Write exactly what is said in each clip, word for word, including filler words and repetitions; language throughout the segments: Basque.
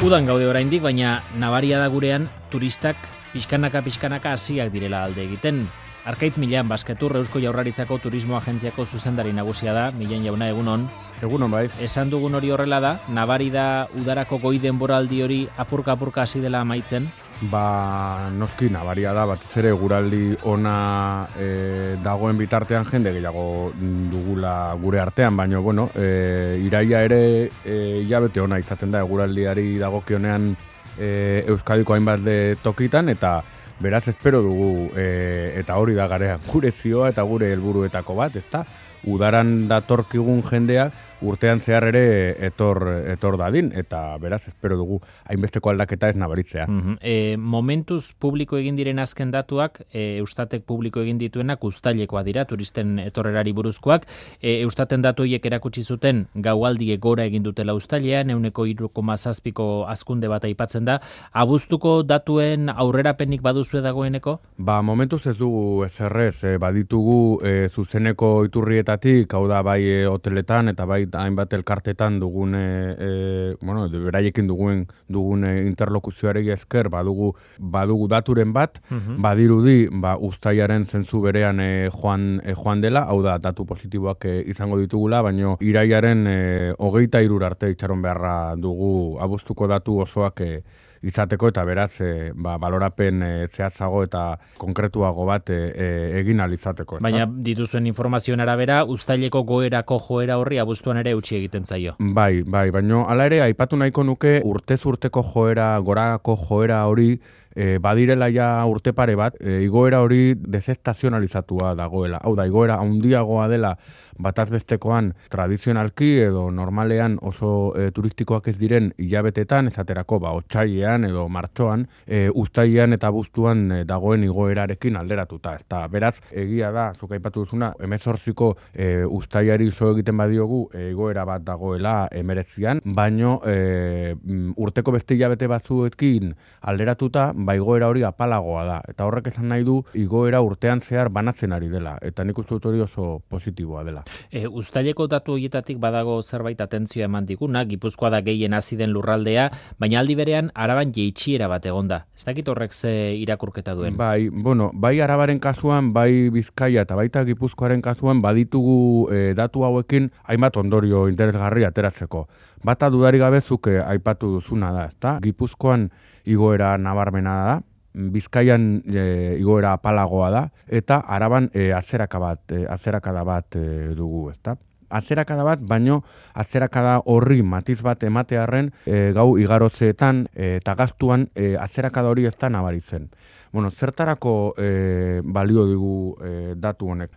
Udan gaude oraindik, baina nabaria da gurean turistak pixkanaka-pixkanaka hasiak direla alde egiten. Arkaitz Milan Basketur Eusko Jaurlaritzako Turismo Agentziako zuzendari nagusia da. Milan jauna, egunon. Egunon bai. Esan dugun hori horrela da, nabari da udarako goi denboraldi hori apurka-apurka hasi dela amaitzen? Ba, noski nabaria da, batez ere guraldi ona e, dagoen bitartean jende gehiago dugula gure artean, baina, bueno, e, iraia ere e, hilabete ona izaten da, guraldiari dagokionean e, Euskadiko hainbat de tokitan, eta beraz espero dugu, e, eta hori da garea, gure zioa eta gure helburuetako bat, ezta? Udaran datorkigun jendea urtean zehar ere etor, etor dadin, eta beraz espero dugu hainbesteko aldaketa ez nabaritzea. Mm-hmm. E, momentuz publiko egin diren azken datuak, e, Eustatek publiko egin dituenak uztailekoa dira, turisten etorrerari buruzkoak. E, Eustaten datu horiek erakutsi zuten gaualdiek gora egin dutela uztailean, ehuneko hiru koma zazpiko hazkunde bat aipatzen da. Abuztuko datuen aurrerapenik baduzue dagoeneko? Ba, momentuz ez dugu ezerrez, e, baditugu e, zuzeneko iturrietatik, hau da bai e, hoteletan eta bai hainbat elkartetan dugun, e, bueno, beraiekin dugun, dugun interlokuzioarei esker badugu, badugu daturen bat, uh-huh. badirudi ba, uztailaren zentzu berean e, joan, e, joan dela, hau da datu positiboak e, izango ditugula, baina iraiaren e, hogeita hirur arte itxaron beharra dugu abuztuko datu osoak e, izateko, eta beraz e, ba, balorapen e, zehatzago eta konkretuago bat e, e, egin alizateko. Baina dituzuen informazioen arabera, uztaileko goerako joera horri abuztuan ere utzi egiten zaio. Bai, bai, baina hala ere aipatu nahiko nuke urtez urteko joera, gorako joera hori E, badirela ja urte pare bat, e, igoera hori dezestazionalizatua dagoela. Hau da, igoera handiagoa dela bataz bestekoan tradizionalki edo normalean oso e, turistikoak ez diren hilabetetan, esaterako ba, otsailean edo martxoan, e, uztailean eta abuztuan e, dagoen igoerarekin alderatuta. Eta beraz, egia da, zuk aipatu duzuna, hemezortziko e, uztailari zo egiten badiogu e, igoera bat dagoela emeretzian, baino e, urteko beste hilabete batzuekin alderatuta, ba, igoera hori apalagoa da. Eta horrek esan nahi du, igoera urtean zehar banatzen ari dela. Eta nik uste dut hori oso positiboa dela. E, uztaileko datu horietatik badago zerbait atentzioa eman diguna, Gipuzkoa da gehien hasi den lurraldea, baina aldi berean Araban jeitsiera bat egonda. Ez dakit horrek ze irakurketa duen? Bai, bueno, bai Arabaren kasuan, bai Bizkaia eta baita Gipuzkoaren kasuan baditugu e, datu hauekin hainbat ondorio interesgarri ateratzeko. Bata dudari gabezuk e, aipatu duzuna da, ezta? Gipuzkoan igoera nabarmena da, Bizkaian e, igoera apalagoa da, eta Araban e, atzeraka bat, e, atzerakada bat e, dugu, ezta? Atzerakada bat, baino atzerakada horri matiz bat ematearren e, gau igarotzeetan e, eta gaztuan e, atzerakada hori ez da nabaritzen. Bueno, zertarako e, balio digu e, datu honek?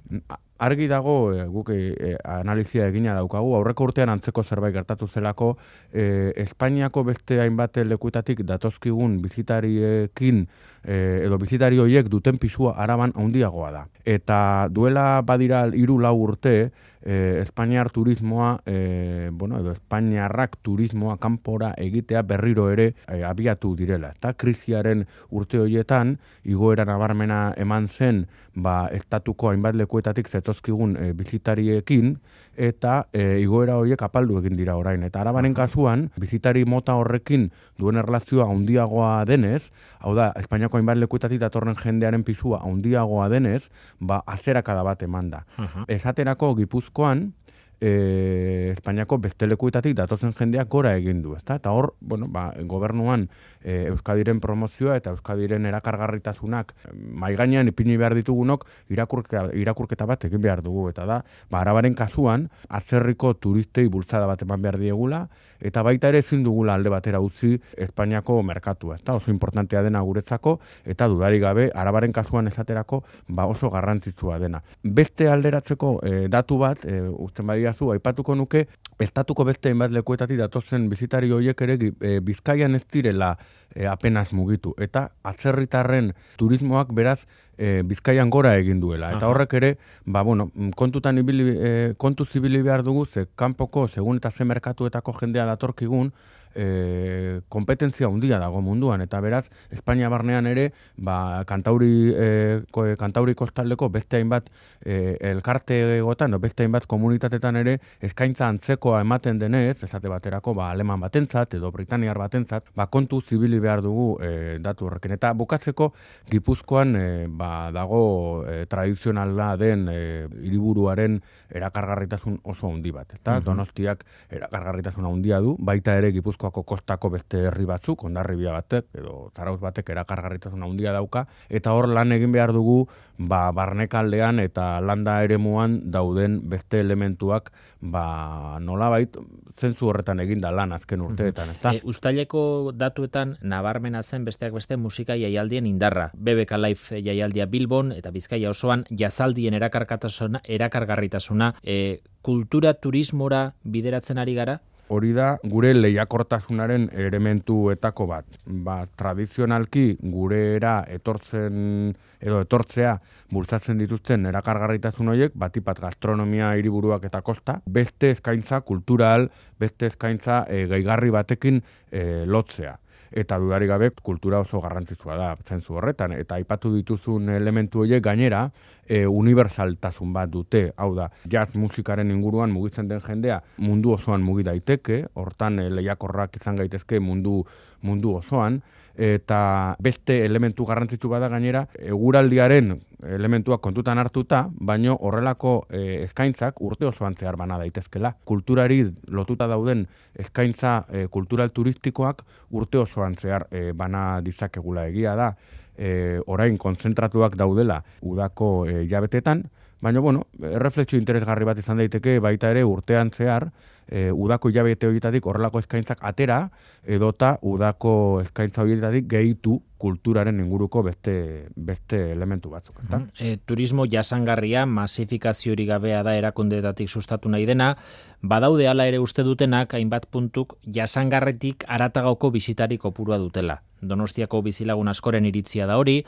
Argi dago, e, guk e, analizia egina daukagu, aurreko urtean antzeko zerbait gertatu zelako, e, Espainiako beste hainbat lekuetatik datozkigun bizitariekin e, edo bizitari horiek duten pisua Araban handiagoa da. Eta duela badira hiru lau urte, e, Espainiar turismoa, e, bueno, edo Espainiarrak turismoa kanpora egitea berriro ere e, abiatu direla. Eta krisiaren urte horietan, igoera nabarmena eman zen, ba, estatuko hainbat lekuetatik zetozkigun e, bizitariekin, eta e, igoera horiek apaldu egin dira orain. Eta Arabaren kasuan, bizitari mota horrekin duen erlazioa handiagoa denez, hau da, Espainiako hainbat lekuetatik datorren jendearen pisua handiagoa denez, ba, azerakada bat eman da. Uh-huh. Esaterako Gipuzkoan, E, Espainiako beste lekuetatik datozen jendeak gora egin du, ezta? Eta hor, bueno, ba, gobernuan e, Euskadiren promozioa eta Euskadiren erakargarritasunak mai gainean ipini behar ditugunok irakurketa, irakurketa bat egin behar dugu, eta da, ba, Arabaren kasuan atzerriko turistei bultzada bat eman behar diegula, eta baita ere ezin dugula alde batera utzi Espainiako merkatua, ezta? Oso importantea dena guretzako, eta dudarik gabe Arabaren kasuan esaterako ba, oso garrantzitsua dena. Beste alderatzeko e, datu bat, e, usten badi zu, aipatuko nuke, estatuko beste hainbat lekuetatik datozen bizitari horiek ere e, Bizkaian ez direla e, apenas mugitu. Eta atzerritarren turismoak beraz e, Bizkaian gora egin duela. Eta horrek ere, ba, bueno, kontutan ibili, e, kontu zibili behar dugu, ze kanpoko, segun eta ze merkatuetako jendea datorkigun, e, kompetentzia handia dago munduan, eta beraz, Espainia barnean ere, ba, kantauri, e, ko, kantauri kostaldeko beste hainbat e, elkarte egotan, no, beste hainbat komunitatetan ere, eskaintza antzekoa ematen denez, esate baterako, ba, aleman batentzat, edo britaniar batentzat, ba, kontu zibili behar dugu e, datu horrekin. Eta bukatzeko, Gipuzkoan e, ba, dago e, tradizionala den e, hiriburuaren erakargarritasun oso handi bat. Eta Donostiak erakargarritasun handia du, baita ere Gipuzkoako kostako beste herri batzuk, Hondarribia batek edo Zarautz batek erakargarritasun handia dauka, eta hor lan egin behar dugu ba, barnekaldean eta landa eremuan dauden beste elementuak ba, nolabait zentzu horretan eginda lan azken urteetan, ezta? E, Uztaileko datuetan nabarmena zen besteak beste musika jaialdien indarra. B B K Live jaialdia Bilbon eta Bizkaia osoan jazaldien erakargarritasuna, erakargarritasuna e, kultura turismora bideratzen ari gara? Hori da gure lehiakortasunaren elementuetako bat. Ba, tradizionalki gurera etortzen edo etortzea bultzatzen dituzten erakargarritasun horiek, batipat gastronomia hiriburuak eta kosta, beste eskaintza kultural, beste eskaintza e, gaigarri batekin e, lotzea. Eta dudarik gabe kultura oso garrantzitsua da zentzu horretan. Eta aipatu dituzun elementu horiek gainera e, unibersaltasun bat dute. Hau da, jazz musikaren inguruan mugitzen den jendea mundu osoan mugi daiteke, hortan e, lehiakorrak izan gaitezke mundu mundu osoan, eta beste elementu garrantzitsu bada gainera, eguraldiaren elementuak kontutan hartuta, baino horrelako e, eskaintzak urte osoan zehar bana daitezkela. Kulturari lotuta dauden eskaintza e, kultural turistikoak urte osoan zehar e, bana ditzakegula egia da. E, orain kontzentratuak daudela udako e, jabetetan, baina, bueno, erreflexio interesgarri bat izan daiteke baita ere urtean zehar, e, udako hilabete horietatik horrelako eskaintzak atera, edota udako eskaintza horietatik gehitu kulturaren inguruko beste beste elementu batzuk. Eta? Mm-hmm. E, turismo jasangarria, masifikaziorik gabea da erakundeetatik sustatu nahi dena, badaude hala ere uste dutenak hainbat puntuk jasangarretik haratagoko bisitari kopurua dutela. Donostiako bizilagun askoren iritzia da hori,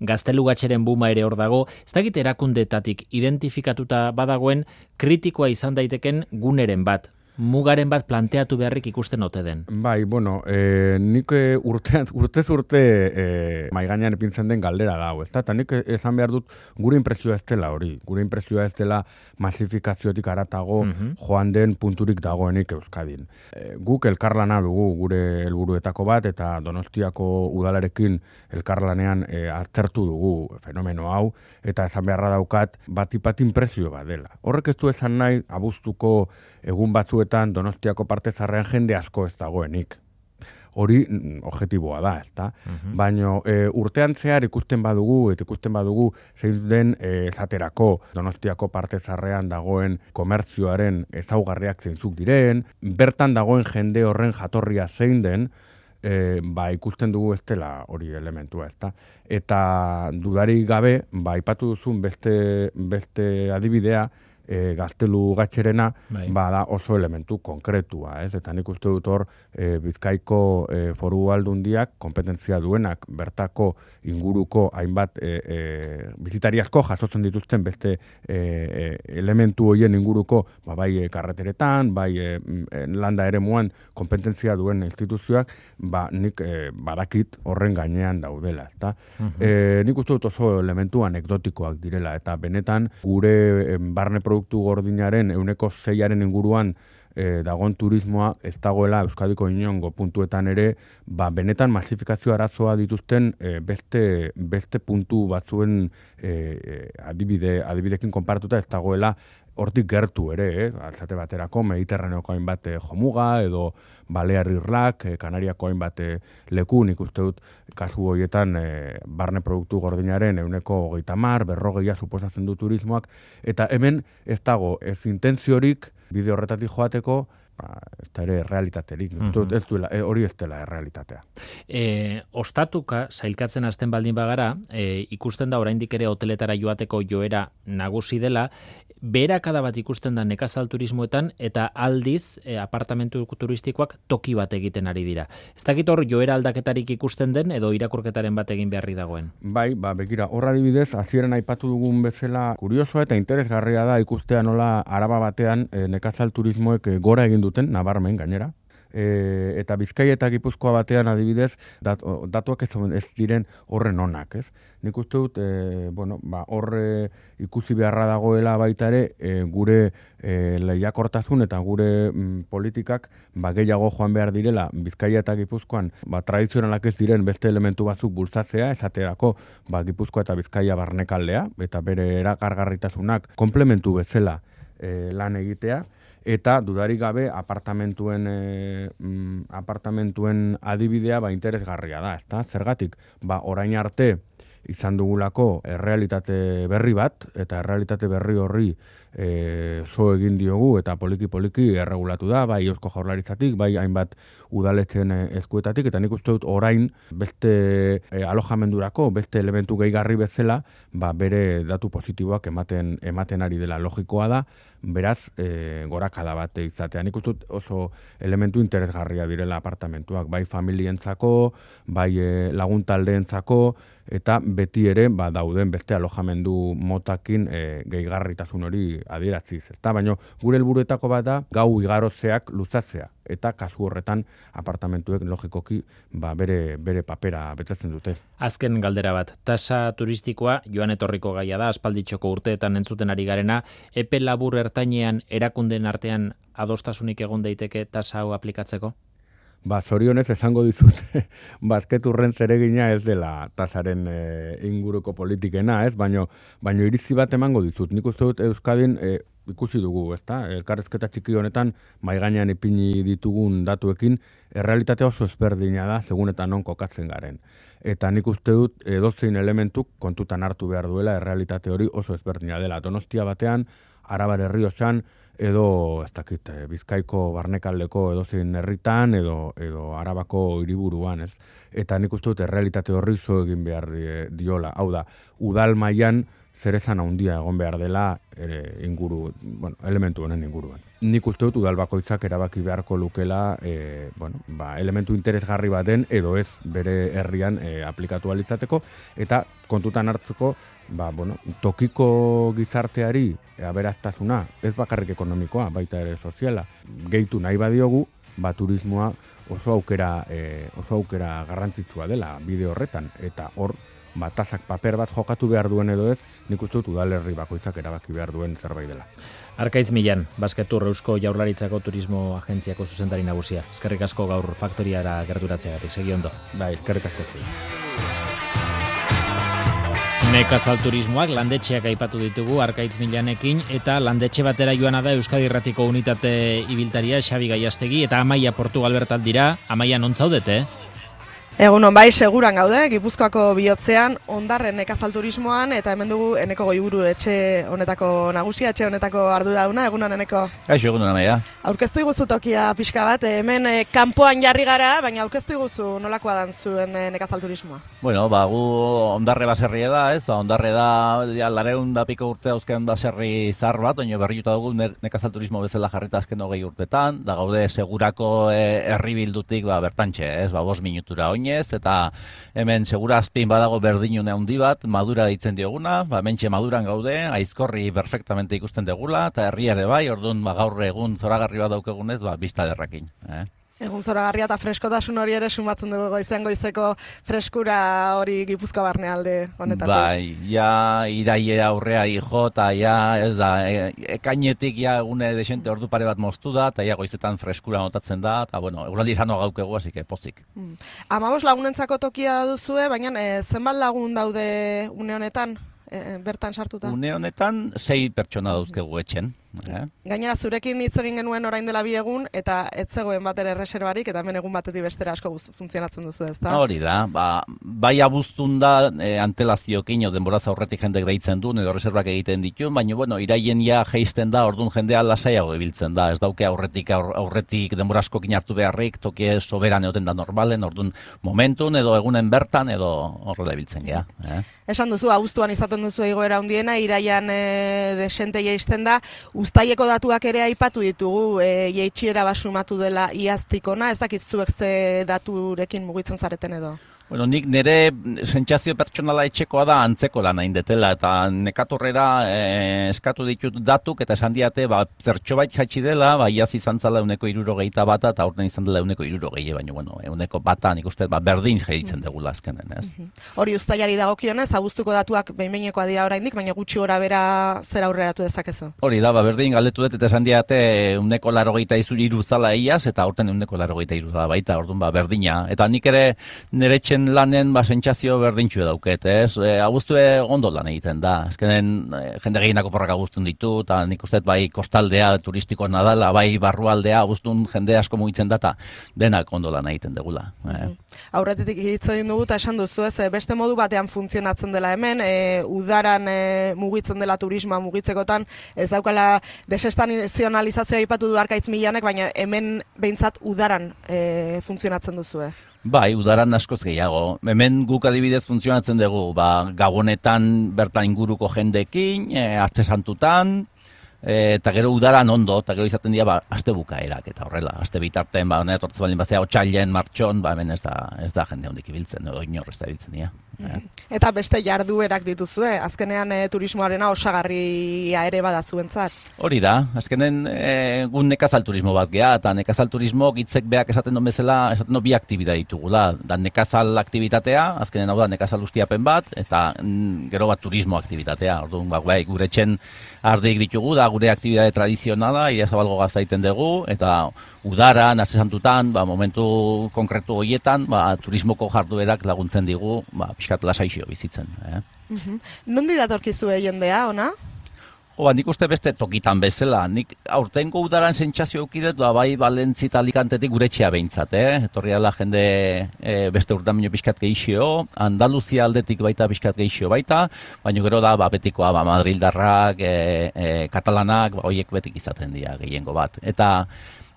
Gaztelugatxeren buma ere hor dago, ez dakit erakundeetatik identifikatuta badagoen kritikoa izan daiteken guneren bat, mugaren bat planteatu beharrik ikusten ote den. Bai, bueno, e, nik urte, urtez urte e, maigainan ipintzen den galdera da, ez da? Eta nik esan behar dut gure impresioa ez dela hori, gure impresioa ez dela masifikaziotik aratago uh-huh. joan den punturik dagoenik Euskadin. E, guk elkarlana dugu gure helburuetako bat, eta Donostiako udalarekin elkarlanean e, aztertu dugu fenomeno hau, eta esan beharra daukat batipat impresio bat dela. Horrek ez du esan nahi abuztuko egun batzu Donostiako parte zarrean jende asko ez dagoenik. Hori objektiboa da, ezta? Uh-huh. Baina e, urtean zehar ikusten badugu, eta ikusten badugu zein den e, esaterako Donostiako parte zarrean dagoen komertzioaren ezaugarriak zeintzuk diren, bertan dagoen jende horren jatorria zein den, e, ba, ikusten dugu ez dela hori elementua, ezta? Eta dudarik gabe, ba, aipatu duzun beste, beste adibidea, E, Gaztelugatxerena bai. Bada oso elementu konkretua, ez? Eta nik uste dut hor e, Bizkaiko e, foru aldundiak kompetentzia duenak bertako inguruko hainbat e, e, bizitari asko jasotzen dituzten beste e, e, elementu horien inguruko ba, bai e, karreteretan, bai e, landa eremuan kompetentzia duen instituzioak, ba, nik e, badakit horren gainean daudela, ezta? Uh-huh. E, nik uste dut oso elementu anekdotikoak direla, eta benetan gure e, barne produktu gordinaren euneko zeiaren inguruan e, dagoen turismoa ez dagoela Euskadiko inongo puntuetan ere, ba, benetan masifikazio arazoa dituzten e, beste, beste puntu batzuen e, adibide, adibidekin konparatuta ez dagoela hortik gertu ere, eh? Alzate baterako Mediterraneoko hainbat eh, jomuga edo Balear Irlak, eh, Kanariako hainbat eh, leku, nik uste dut kasu horietan eh, barne produktu gordinaren euneko hogeita hamar, berrogeia suposatzen du turismoak, eta hemen ez dago ez intentziorik bide horretatik joateko, ba, ez da ere realitaterik, uh-huh. ez duela, e, hori ez dela realitatea. E, ostatuka, sailkatzen hasten baldin bagara, e, ikusten da oraindik ere hoteletara joateko joera nagusi dela, beherakada bat ikusten da nekazal turismoetan, eta aldiz e, apartamentu turistikoak toki bat egiten ari dira. Ez dakit hor joera aldaketarik ikusten den, edo irakurketaren bat egin beharri dagoen? Bai, ba, begira, horra adibidez, hasieran aipatu dugun bezala kuriosoa eta interesgarria da ikustea nola Araba batean e, nekazal turismoek e, gora egin duten, nabarmen gainera, e, eta Bizkaia eta Gipuzkoa batean adibidez, dat, datuak ez, ez diren horren onak, ez? Nik uste dut, e, bueno, ba, horre ikusi beharra dagoela baita ere, e, gure e, lehiakortasun eta gure mm, politikak ba, gehiago joan behar direla Bizkaia eta Gipuzkoan ba, tradizionalak ez diren beste elementu batzuk bultzatzea, esaterako ba, Gipuzkoa eta Bizkaia barnekaldea, eta bere erakargarritasunak komplementu bezala e, lan egitea, eta dudarik gabe apartamentuen e, mm, apartamentuen adibidea ba, interesgarria da, ezta? Zergatik, ba, orain arte izan dugulako errealitate berri bat, eta errealitate berri horri e, so egin diogu, eta poliki-poliki erregulatu da, bai Eusko Jaurlaritzatik, bai hainbat udaletxeen eskuetatik, eta nik uste dut orain beste e, alojamendurako, beste elementu gehigarri bezala, ba, bere datu positiboak ematen, ematen ari dela logikoa da, beraz, e, gorakada bat izatea. Nik uste dut oso elementu interesgarria direla apartamentuak, bai familientzako, bai e, laguntaldeentzako, eta beti ere ba, dauden beste alojamendu motakin e, gehigarritasun hori adieratziz. Ezta? Baina gure helburuetako bat da gau igarozeak luzatzea, eta kasu horretan apartamentuek logikoki ba, bere, bere papera betetzen dute. Azken galdera bat, tasa turistikoa joan etorriko gaia da, aspalditxoko urteetan entzuten ari garena, epe labur ertainean erakundeen artean adostasunik egon daiteke tasa hau aplikatzeko? Ba, zorionez esango dizut, bazketurren zeregina ez dela tasaren e, inguruko politikena, ez? Baino, baino iritzi bat emango dizut. Nik uste dut Euskadin e, ikusi dugu, ezta? Elkarrezketa txiki honetan, mai gainean ipini ditugun datuekin, errealitatea oso ezberdina da, segun eta non kokatzen garen. Eta nik uste dut edozein elementuk kontutan hartu behar duela errealitate hori oso ezberdina dela. Donostia batean, Arabar Errioxan, edo, ez dakit, Bizkaiko barnekaldeko edozein herritan, edo, edo Arabako hiriburuan, ez? Eta nik uste dut errealitate horri zo egin behar diola. Hau da, udal mailan zerezan handia egon behar dela ere, inguru, bueno, elementu honen inguruan. Nik uste dut udal bakoitzak erabaki beharko lukela e, bueno, ba, elementu interesgarri baten edo ez bere herrian e, aplikatu alitzateko, eta kontutan hartzeko ba, bueno, tokiko gizarteari aberaztasuna, ez bakarrik ekonomikoa, baita ere soziala, gehitu nahi badiogu, ba, turismoa oso aukera, e, oso aukera garrantzitsua dela bide horretan, eta hor ba, tazak paper bat jokatu behar duen edo ez, nik uste dut udalerri bakoitzak erabaki behar duen zerbait dela. Arkaitz Millan, Basketur Eusko Jaurlaritzako Turismo Agentziako zuzendari nagusia. Eskerrik asko gaur faktoriara gerturatzeagatik, segi ondo. Bai, eskerrik asko. Nekazal turismoak landetxeak aipatu ditugu Arkaitz Millanekin, eta landetxe batera joana da Euskadi Irratiko unitate ibiltaria Xabi Gaiastegi, eta Amaia Portugal bertan dira. Amaia, non zaudete? Egunon, bai, seguran gaude, Gipuzkoako bihotzean, Ondarren nekazal turismoan, eta hemen dugu Eneko Goiburu etxe honetako nagusia, etxe honetako ardurauna. Egunon, Eneko? Gaixo, egunon, Amaia. Aurkeztu iguzu tokia pixka bat, hemen eh, kanpoan jarri gara, baina aurkeztu iguzu nolakoa dan zuen eh, nekazal turismoa? Bueno, ba, gu Ondarre baserria da, ez? Ba, Ondarre da, ja, lareun da piko urte dauzken baserri zar bat, oino berriuta dugu nekazal turismo bezala jarrita azken hogei urtetan, da gaude segurako herri bildutik ba, bertantxe, ez? Ba, bost minutura oinez, eta hemen segura azpin badago berdinune handi bat, Madura deitzen dioguna, ba, mentxe Maduran gaude, Aizkorri perfectamente ikusten degula, eta herri ere bai, orduan ba, gaur egun zoragarri bat daukegunez, ba, bizta derrakin. Eh? Egun zoragarria eta freskotasun hori ere sumatzen dugu goizean goizeko freskura hori Gipuzkoa barne alde honetatik. Bai, ja iraie aurrea ijo, eta ja, ez da, e, ekainetik ja egune desente ordu pare bat moztu da, eta ja goizetan freskura notatzen da, eta bueno, eguraldi izan gaukegu, hasi que pozik. Hmm. Amabos lagunentzako tokia duzue, baina e, zenbat lagun daude une honetan, e, bertan sartuta? Une honetan, sei pertsona dauzkegu etxen. Eh? Gainera zurekin hitz egin genuen orain dela bi egun, eta ez zegoen bat ere reserbarik, eta hemen egun batetik bestera asko funtzionatzen duzu, ezta? Hori da, ba, bai abuztun da e, antelaziokin, denboraz aurretik jendek deitzen duen, edo reservak egiten ditu, baina bueno, iraien ja jeisten da, orduan jendea lasaiago ibiltzen da, ez dauke aurretik aur, aurretik denborazkokin hartu beharrik, toki soberan egoten da normalen, orduan momentun edo egunen bertan edo horrela ibiltzen gea. Eh? Esan duzu, abuztuan izaten duzu egoera handiena, iraian e, desente jaisten da. Uztaileko datuak ere aipatu ditugu, e, jaitxiera basumatu dela iaztikona, ez dakit zuek ze daturekin mugitzen zareten edo? Bueno, nik nire sentsazio pertsonala etxekoa da antzeko lan hain detela, eta nekatorrera eh, eskatu ditut datuk, eta esan diate, ba, zertxo bait jatxi dela, ba, iaz izan zala euneko irurogeita bata, eta aurten izan dela euneko irurogei, baina, bueno, euneko bata, nik uste, ba, berdin jaitzen degula azkenen, ez? Hori uztailari dagokionez, abuztuko datuak behin-behinekoa dira oraindik, baina gutxi gora bera zer aurreratu dezakezu? Hori da, ba, berdin galdetu dut, eta esan diate euneko larogeita iru zala iaz, eta aurten euneko larogeita iru zala baita, orduan, ba, berdina. Eta nik ere nire etxen lanen ba sentsazio berdintxu dauket, ez? E, abuztue ondo lan egiten da. Azkenen e, jende gehienako porrak abuztun ditu, eta nik uste bai kostaldea turistiko nadala, bai barrualdea abuztun jende asko mugitzen data, denak ondo lan egiten degula. E. Aurretetik hitz egin dugu eta esan duzu, ez, beste modu batean funtzionatzen dela hemen, e, udaran e, mugitzen dela turismoa mugitzekotan, ez daukala desestanizionalizazioa aipatu du Arkaitz Milanek, baina hemen behintzat udaran e, funtzionatzen duzu, eh? Bai, udaran askoz gehiago. Hemen guk adibidez funtzionatzen dugu, ba, gabonetan bertan inguruko jendekin, e, Artze Santutan, e, eta gero udaran ondo, eta gero izaten dira, ba, aste bukaerak, eta horrela, aste bitarten, ba, honet hortz baldin bazea, otxailen, martxon, ba, hemen ez da, ez da jende hondik ibiltzen, edo inor ez da ibiltzen dira. Eta beste jarduerak dituzue, azkenean e, turismoarena osagarria ere bada zuentzat. Hori da, azkenen e, gun nekazal turismo bat geha, eta nekazal turismo gitzek beak esaten duen bezala, esaten duen bi aktibida ditugula. Da nekazal aktibitatea, azkenen hau da nekazal ustiapen bat, eta mm, gero bat turismo aktibitatea. Orduan, ba, bai, gure etxen ardik ditugu, da gure aktibidade tradizionala, ia zabalgo gaztaiten dugu, eta udaran, Artze Santutan, ba, momentu konkretu horietan, ba, turismoko jarduerak laguntzen digu, ba, pixkat lasaixio bizitzen. Eh? Uh-huh. Nondi datorkizue jendea, ona? Jo, ba, nik uste beste tokitan bezala. Nik aurtengo udaran sentsazio eukidet, ba, bai Valentzi eta Alicantetik gure etxea behintzat, eh? Etorri ala jende e, beste urtamino pixkat gehixio, Andaluzia aldetik baita pixkat gehixio baita, baina gero da, ba, betikoa, ba, Madrildarrak, e, e, Katalanak, ba, hoiek betik izaten dira gehiengo bat. Eta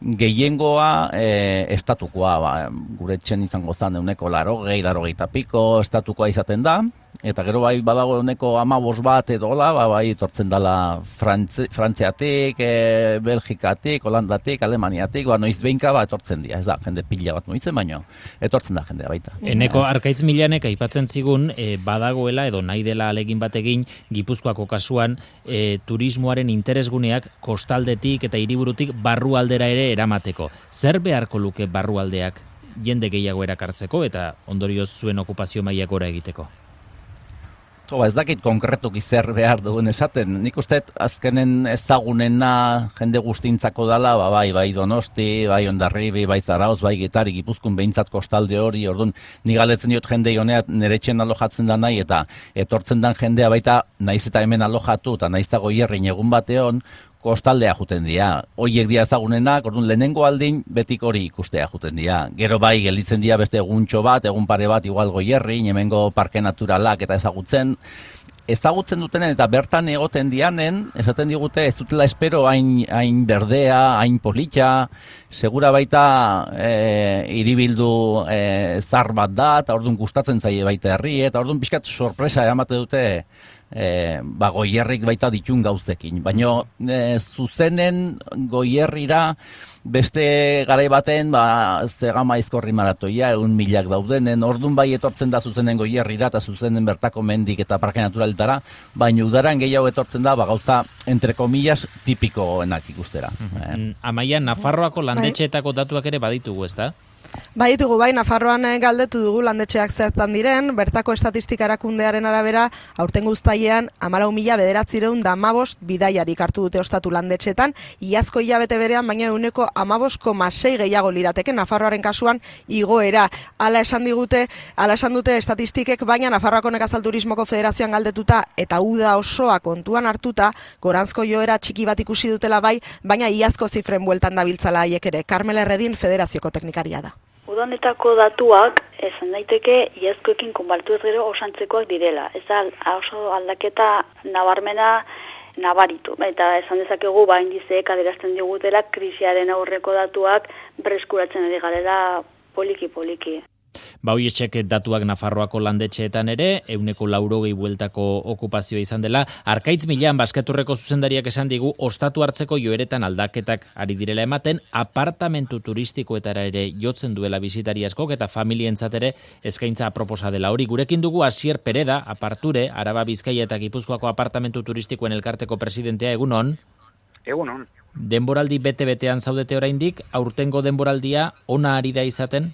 gehiengoa e, estatukoa, ba, gure etxen izango zan euneko larogei, larogeita piko estatukoa izaten da, eta gero bai badago euneko amabos bat edo hola, ba, bai etortzen dela Frantzi, Frantziatik, e, Belgikatik, Holandatik, Alemaniatik, ba, noiz behinka ba, etortzen dira, ez da, jende pila bat mugitzen, baino, etortzen da jendea baita. Eneko Arkaitz Milanek aipatzen zigun, e, badagoela edo nahi dela alegin bategin, Gipuzkoako kasuan, e, turismoaren interesguneak kostaldetik eta hiriburutik barrualdera ere eramateko. Zer beharko luke barrualdeak jende gehiago erakartzeko eta ondorioz zuen okupazio maila gora egiteko? Jo, ba, ez dakit konkretuki zer behar dugun esaten. Nik uste azkenen ezagunena jende guztintzako dala, ba, bai, bai Donosti, bai Hondarribi, bai Zarauz, bai Getari, Gipuzkoan behintzat kostalde hori, orduan, ni galetzen diot jende honeat nire etxen alojatzen da nahi, eta etortzen dan jendea baita naiz eta hemen alojatu, eta naiz eta goierrin egun bateon, kostaldea juten dira. Hoiek dira ezagunenak, orduan lehenengo aldin betik hori ikustea juten dira. Gero bai gelditzen dira beste eguntxo bat, egun pare bat igual goierrin, hemengo parke naturalak eta ezagutzen. Ezagutzen dutenen eta bertan egoten dianen, esaten digute ez dutela espero hain, hain berdea, hain politxa, segura baita e, iribildu e, zar bat da, eta orduan gustatzen zaie baita herri, eta orduan pixkat sorpresa emate dute E, ba, goierrik baita ditun gauzekin. Baina e, zuzenen goierrira beste garai baten ba, zegama izkorri maratoia, egun milak daudenen, ordun bai etortzen da zuzenen goierrira eta zuzenen bertako mendik eta parke naturalitara, baina udaran gehiago etortzen da ba, gauza entre komillas tipikoenak ikustera. Mm-hmm. eh. Amaia, Nafarroako landetxeetako datuak ere baditugu, ez da? Bai, ditugu, bai, Nafarroan galdetu dugu landetxeak zertan diren, bertako estatistika erakundearen arabera, aurten guztailean, hamalau mila bederatziehun eta hamabost bidaiarik hartu dute ostatu landetxeetan, iazko hilabete berean, baina ehuneko hamabost koma sei gehiago lirateke, Nafarroaren kasuan igoera. Hala esan digute, hala esan dute estatistikek, baina Nafarroako Nekazal Turismoko Federazioan galdetuta eta uda osoa kontuan hartuta, goranzko joera txiki bat ikusi dutela bai, baina iazko zifren bueltan dabiltzala haiek ere. Carmela Erredin Federazioko teknikaria da. Udonetako datuak, esan daiteke, iazkoekin konparatu ez gero osantzekoak direla. Ez da, oso aldaketa nabarmena nabaritu. Eta esan dezakegu, ba, indizeek adierazten digutela, krisiaren aurreko datuak berreskuratzen ari garela poliki-poliki. Ba, hoietxek datuak Nafarroako landetxeetan ere, euneko laurogei bueltako okupazioa izan dela. Arkaitz Milan, Basketurreko zuzendariak esan digu, ostatu hartzeko joeretan aldaketak ari direla ematen, apartamentu turistikoetara ere jotzen duela bisitari askok eta familientzat ere eskaintza aproposa dela. Hori, gurekin dugu Asier Pereda, Aparture, Araba Bizkaia eta Gipuzkoako apartamentu turistikoen elkarteko presidentea, egunon? Egunon. Denboraldi bete-betean zaudete oraindik, aurtengo denboraldia ona ari da izaten?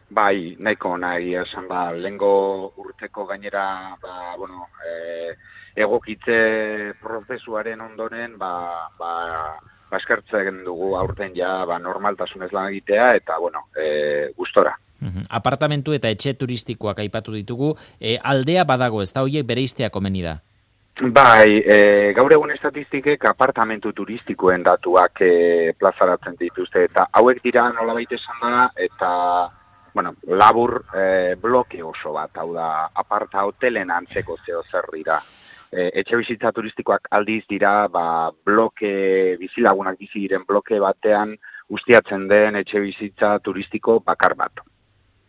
Bai, nahiko nahi esan ba, lengo urteko gainera, ba, bueno, e, egokitze prozesuaren ondoren, ba, ba, baskertzen dugu aurten ja, ba, normaltasunez lan egitea, eta, bueno, e, gustora. Uhum. Apartamentu eta etxe turistikoak aipatu ditugu, e, aldea badago, ez da horiek bereiztea komeni da? Bai, e, gaur egun estatistikek apartamentu turistikoen datuak e, plazaratzen dituzte, eta hauek dira nolabait esan da, eta bueno, labur e, bloke oso bat, hau da, aparta hotelen antzeko zeo zer dira. E, etxe bizitza turistikoak aldiz dira, ba, bloke, bizilagunak bizi diren bloke batean ustiatzen den etxe bizitza turistiko bakar bat.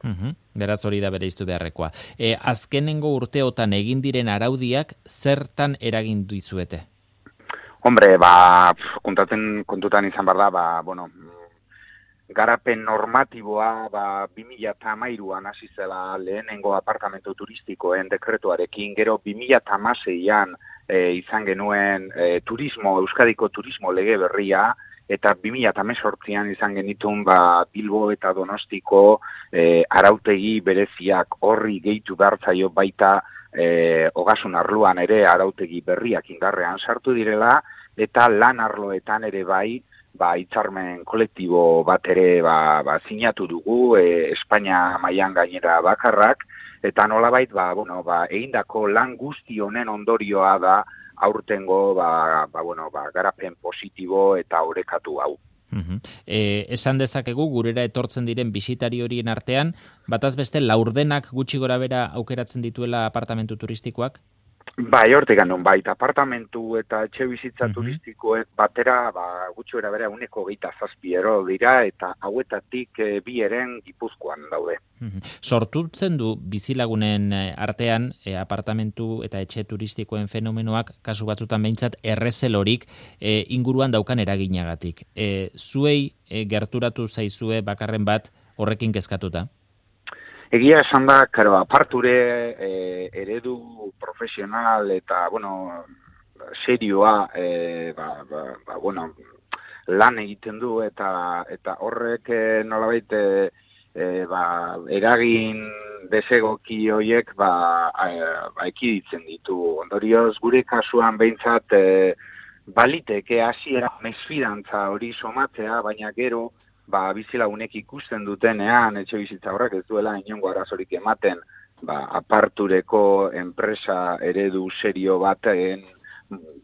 Uhum. Beraz hori da bereiztu beharrekoa. E, azkenengo urteotan egin diren araudiak zertan eragin dizuete? Hombre, ba, kontatzen kontutan izan behar da, ba, bueno, garapen normatiboa ba, bi mila hamairuan hasi zela lehenengo apartamentu turistikoen dekretuarekin, gero bi mila hamaseian e, izan genuen e, turismo, Euskadiko turismo lege berria, eta bi mila hemezortzian izan genitun ba, Bilbo eta Donostiko e, arautegi bereziak horri gehitu behartzaio baita e, ogasun arloan ere arautegi berriak indarrean sartu direla, eta lan arloetan ere bai, ba, hitzarmen kolektibo bat ere ba, ba, sinatu dugu, e, Espainia mailan gainera bakarrak, eta nolabait ba, bueno, ba, egindako lan guzti honen ondorioa da aurtengo ba, ba, bueno, ba, garapen positibo eta orekatu hau. Uhum. E, esan dezakegu gurera etortzen diren bisitari horien artean, bataz beste laurdenak gutxi gora bera aukeratzen dituela apartamentu turistikoak? Bai, hortik ganun, bai, apartamentu eta etxe bizitza uh-huh. turistikoek batera, ba, gutxi bera bera uneko geita zazpiero dira, eta hauetatik e, bi eren Gipuzkoan daude. Uh-huh. Sortutzen du bizilagunen artean e, apartamentu eta etxe turistikoen fenomenoak, kasu batzutan behintzat, errezelorik e, inguruan daukan eraginagatik. E, zuei e, gerturatu zaizue bakarren bat horrekin kezkatuta? Egia esan da, karo, aparture e, eredu profesional eta, bueno, serioa, e, ba, ba, ba, bueno, lan egiten du eta eta horrek e, nolabait e, e, ba, eragin desegoki horiek ba, e, ba, ekiditzen ditu. Ondorioz, gure kasuan behintzat e, baliteke hasiera mesfidantza hori somatzea, baina gero, ba, bizilagunek ikusten dutenean, etxe bizitza horrek ez duela inongo arazorik ematen, ba, apartureko enpresa eredu serio baten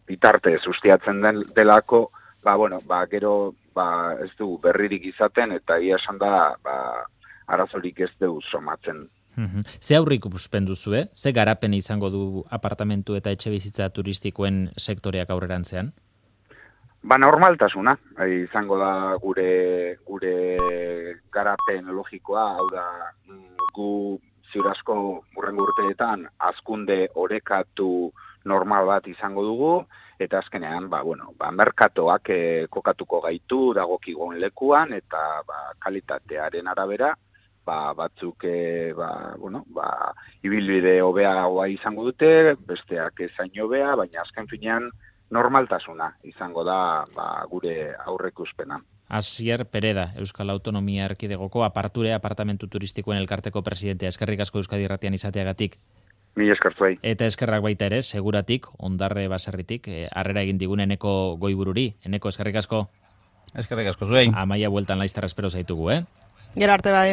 bitartez ustiatzen den delako, ba, bueno, ba, gero ba, ez du berririk izaten, eta ia esan da, ba, arazorik ez du somatzen. Uhum. Ze aurrik ikusten duzu, eh? Ze garapen izango du apartamentu eta etxe bizitza turistikoen sektoreak aurrerantzean? Ba, normaltasuna, izango da gure gure garapen logikoa, hau da, gu ziurazko hurrengo urteetan hazkunde orekatu normal bat izango dugu, eta azkenean, ba, bueno, ba, merkatoak e, kokatuko gaitu dagokigun lekuan, eta ba, kalitatearen arabera, ba, batzuk e, ba, bueno, ba, ibilbide hobeagoa izango dute, besteak ezain hobea, baina azken finean, normaltasuna izango da ba, gure aurreikuspena. Asier Pereda, Euskal Autonomia Erkidegoko Aparture apartamentu turistikoen elkarteko presidentea. Eskerrik asko Euskadi Irratian izateagatik. Mila esker zuei. Eta eskerrak baita ere, seguratik, ondarre baserritik, harrera egin digun Eneko goibururi. Eneko, eskerrik asko. Eskerrik asko zuei. Amaia bueltan laizterra espero zaitugu, eh? Gero arte bai.